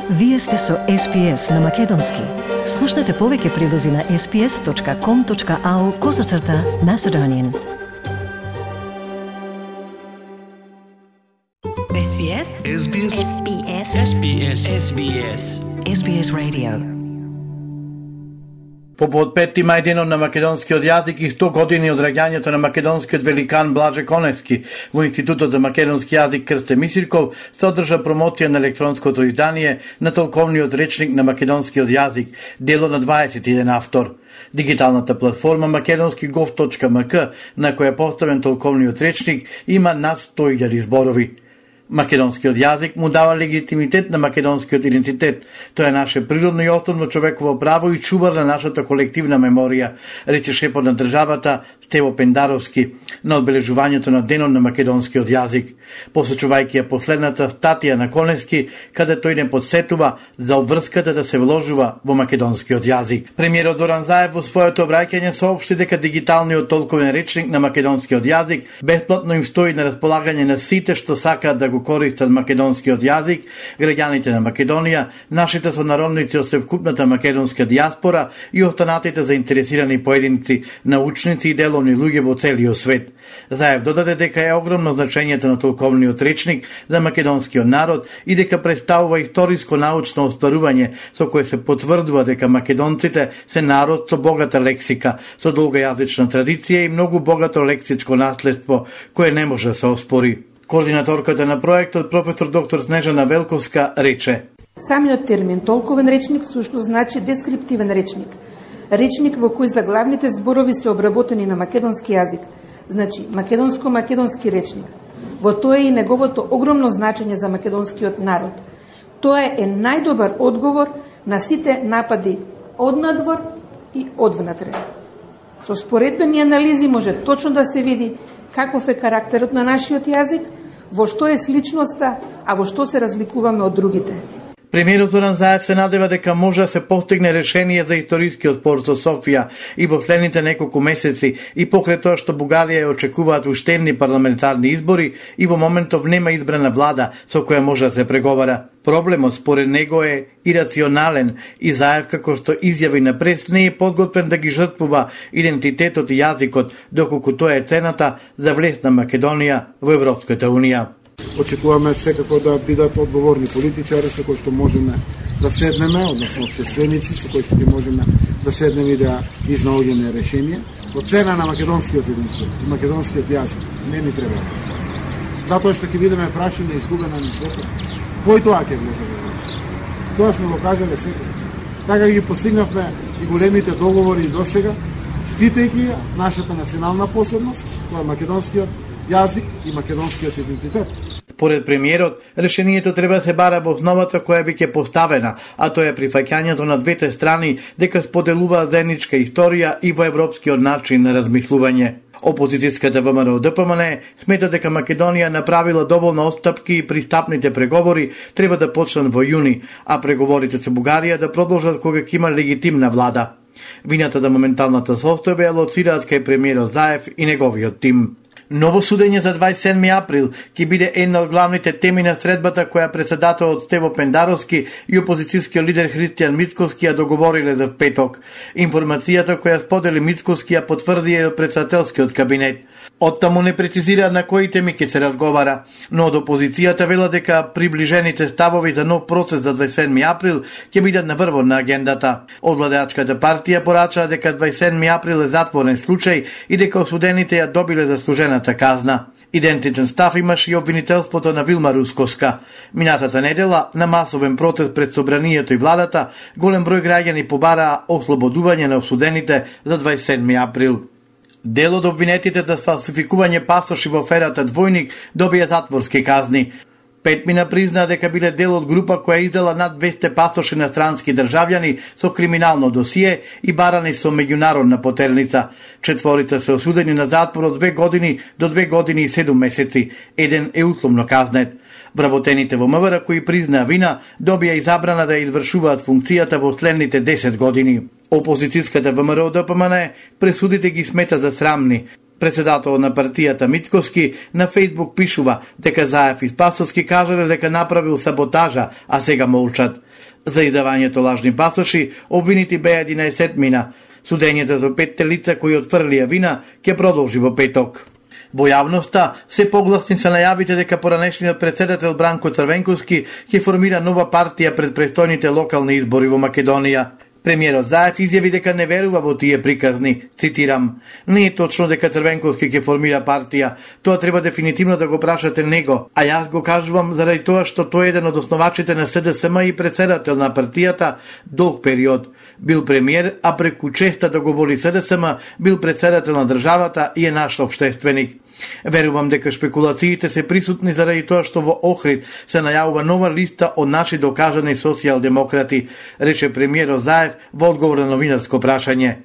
Вие сте со SPS на Македонски. Слушнете повеќе прилози на sps.com.au/Macedonian. SBS SBS SBS SBS SBS SBS Radio. По 5 мај денот на македонскиот јазик и 100 години од раѓањето на македонскиот великан Блаже Коневски во Институтот за македонски јазик Крсте Мисирков се одржа промоција на електронското издание на толковниот речник на македонскиот јазик, дело на 21 автор. Дигиталната платформа makedonski.gov.mk, на која е поставен толковниот речник, има над 100.000 зборови. Македонскиот јазик му дава легитимитет на македонскиот идентитет. Тоа е наше природно и основно човеково право и чувар на нашата колективна меморија, рече шефот на државата Стево Пендаровски на одбележувањето на денот на македонскиот јазик, посочувајќи ја последната статија на Коневски, каде тој не подсетува за обврската да се вложува во македонскиот јазик. Премиерот Зоран Заев во своето обраќање соопшти дека дигиталниот толковен речник на македонскиот јазик бесплатно им стои на располагање на сите што сакаат да го користат македонскиот јазик, граѓаните на Македонија, нашите сонародници од севкупната македонска дијаспора и останатите заинтересирани поединци, научници и деловни луѓе во целиот свет. Заев додаде дека е огромно значењето на толковниот речник за македонскиот народ и дека представува историско научно оспарување со кое се потврдува дека македонците се народ со богата лексика, со долга јазична традиција и многу богато лексичко наследство кое не може да се оспори. Координаторката на проектот, професор доктор Снежана Велковска, рече: Самиот термин толковен речник всушност значи дескриптивен речник. Речник во кој заглавните зборови се обработени на македонски јазик, значи македонски речник. Во тоа е и неговото огромно значење за македонскиот народ. Тоа е најдобар одговор на сите напади од надвор и одвнатре. Со споредбени анализи може точно да се види каков е карактерот на нашиот јазик, во што е сличноста, а во што се разликуваме од другите. Премиерот Зоран Заев се надева дека може да се постигне решение за историскиот спор со Софија и во следните неколку месеци и покрај тоа што Бугарија ја очекуваат уштедни парламентарни избори и во моментов нема избрана влада со која може да се преговара. Проблемот според него е ирационален и Заев, како што изјави на прес, не е подготвен да ги жртвува идентитетот и јазикот, доколку тоа е цената за влез на Македонија во Европската Унија. Очекуваме секако да бидат одговорни политичари со кои што можеме да седнеме, односно општественици со кои што можеме да седнеме и да изнаоѓеме решение. По цена на македонскиот идентитет и македонскиот јазик не ни треба. Затоа што ќе бидеме прашани и изгубена низвото. Кој тоа ќе влезе во Европска? Тоа сме го кажале секој. Така ги постигнавме и големите договори и досега, штитејќи нашата национална посебност, тоа е македонскиот јазик и македонскиот идентитет. Според премиерот, решението треба да се бара во основата која веќе поставена, а тоа е прифаќањето на двете страни дека споделуваат заедничка историја и во европскиот начин на размислување. Опозицијската ВМРО ДПМН смета дека Македонија направила доволно отстапки и пристапните преговори треба да почнат во јуни, а преговорите со Бугарија да продолжат кога ќе има легитимна влада. Вината за моменталната состојба ја лоцираат кај премиерот Заев и неговиот тим. Ново судење за 27 април ќе биде една од главните теми на средбата која председателот Стево Пендаровски и опозицијскиот лидер Христијан Мицковски ја договориле за петок. Информацијата која сподели Мицковски ја потврди и председателскиот кабинет. Оттаму не прецизира на кои теми ќе се разговара, но од опозицијата вела дека приближените ставови за нов процес за 27 април ќе бидат на врвот на агендата. Од владеачката партија порачаа дека 27 април е затворен случај и дека осудените ја добиле заслужената казна. Идентичен став имаше и обвинителството на Вилма Русковска. Минатата недела, на масовен протест пред собранието и владата, голем број граѓани побараа ослободување на осудените за 27 април. Дел од обвинетите за фалсификување пасоши во аферата Двојник добија затворски казни. 5 мина признаа дека биле дел од група која издала над 200 пасоши на странски државјани со криминално досие и барани со меѓународна потерница. 4 се осудени на затвор од 2 години до 2 години и 7 месеци. Еден е условно казнет. Вработените во МВР кои признаа вина добија и забрана да извршуваат функцијата во следните 10 години. Опозицијската ВМРО ДПМН пресудите ги смета за срамни. Председател на партијата Мицковски на Фејсбук пишува дека Заев и Спасовски кажале дека направил саботажа, а сега молчат. За издавањето лажни пасоши обвинити беа 11 мина. Судењето за 5 лица кои отфрлија вина ќе продолжи во петок. Во јавноста се погласни се најавите дека поранешниот председател Бранко Црвенковски ќе формира нова партија пред престојните локални избори во Македонија. Премиерот Заев изјави дека не верува во тие приказни. Цитирам: "Не е точно дека Црвенковски ќе формира партија. Тоа треба дефинитивно да го прашате него, а јас го кажувам заради тоа што тој е еден од основачите на СДСМ и председател на партијата долг период. Бил премиер, а преку честа да го води СДСМ, бил председател на државата и е наш општественик. Верувам дека шпекулациите се присутни заради тоа што во Охрид се најавува нова листа од наши докажани социјалдемократи", рече премиерот Заев во одговор на новинарско прашање.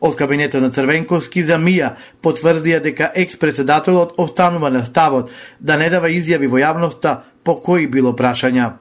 Од кабинетот на Црвенковски за МИА потврдија дека екс-председателот останува на ставот да не дава изјави во јавноста по кои било прашања.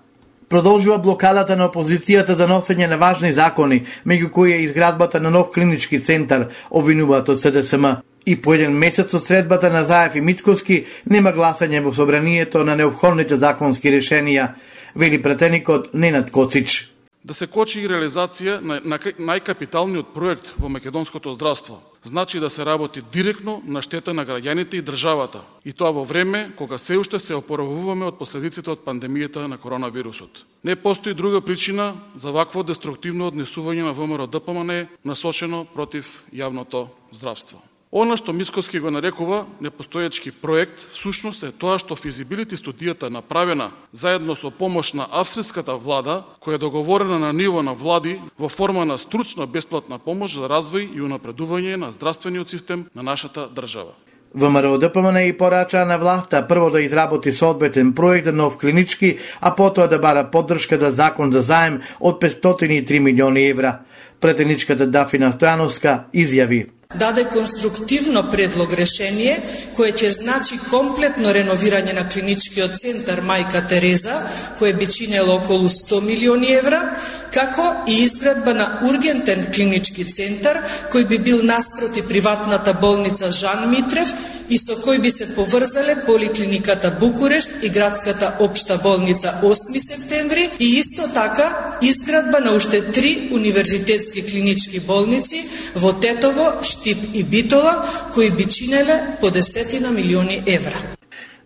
Продолжува блокадата на опозицијата за носење на важни закони, меѓу кои е изградбата на нов клинички центар, обвинуваат од СДСМ. И по еден месец од средбата на Заев и Мицковски нема гласање во собранието на неопходните законски решенија, вели пратеникот Ненад Коцич. Да се кочи и реализација на најкапиталниот проект во македонското здравство. Значи да се работи директно на штета на граѓаните и државата. И тоа во време кога се уште се опоравуваме од последиците од пандемијата на коронавирусот. Не постои друга причина за вакво деструктивно однесување на ВМРО-ДПМН насочено против јавното здравство. Она што Мицковски го нарекува непостоечки проект, всушност е тоа што физибилити студијата направена заедно со помош на австриската влада, која е договорена на ниво на влади во форма на стручна бесплатна помош за развој и унапредување на здравствениот систем на нашата држава. ВМРО-ДПМН и порача на власта прво да изработи соодветен проект за нов клинички, а потоа да бара поддршка за закон за заем од 503 милиони евра. Претеничката Дафина Стојановска изјави: даде конструктивно предлог решение кое ќе значи комплетно реновирање на клиничкиот центар Мајка Тереза, кое би чинело околу 100 милиони евра, како и изградба на ургентен клинички центар кој би бил наспроти приватната болница Жан Митрев и со кој би се поврзале поликлиниката Букурешт и градската општа болница 8 септември и исто така изградба на уште 3 универзитетски клинички болници во Тетово, Штип и Битола, кои би чинеле по 10 милиони евра.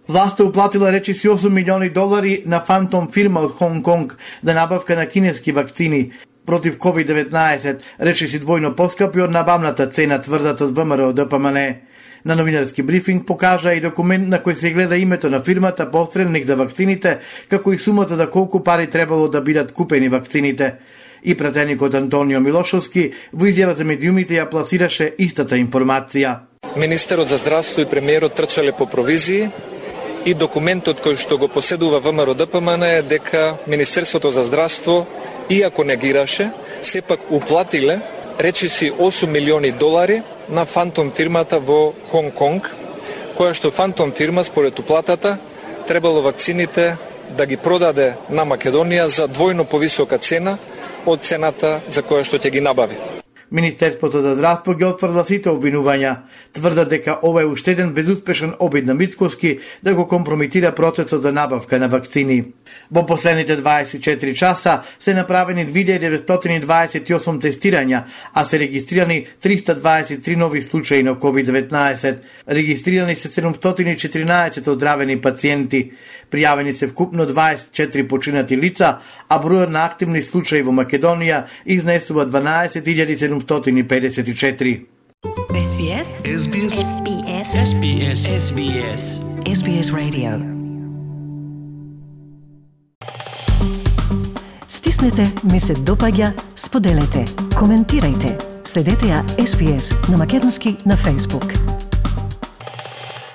Власта уплатила речиси 8 милиони долари на фантом фирма од Хонг Конг за набавка на кинески вакцини против COVID-19, речиси двојно поскапи од набавната цена, тврдат од ВМРО-ДПМН. На новинарски брифинг покажа и документ на кој се гледа името на фирмата посредник за вакцините, како и сумата за колку пари требало да бидат купени вакцините. И пратеникот Антонио Милошовски во изјава за медиумите ја пласираше истата информација. Министерот за здравство и премиерот трчале по провизии и документот кој што го поседува ВМРО-ДПМН е дека Министерството за здравство, иако негираше, сепак уплатиле речиси 8 милиони долари на фантом фирмата во Хонг Конг, која што фантом фирма според уплатата требало вакцините да ги продаде на Македонија за двојно повисока цена од цената за која што ќе ги набави. Министерството за здравство ги отврда сите обвинувања. Тврдат дека ова е уште еден безуспешен обид на Мицковски да го компрометира процесот за набавка на вакцини. Во последните 24 часа се направени 2928 тестирања, а се регистрирани 323 нови случаи на COVID-19. Регистрирани се 714 оздравени пациенти. Пријавени се вкупно 24 починати лица, а бројот на активни случаи во Македонија изнесува 12754. SBS SBS SBS SBS SBS SBS Radio. Стиснете, ми се допаѓа, споделете, коментирајте. Следете ја SBS на македонски на Facebook.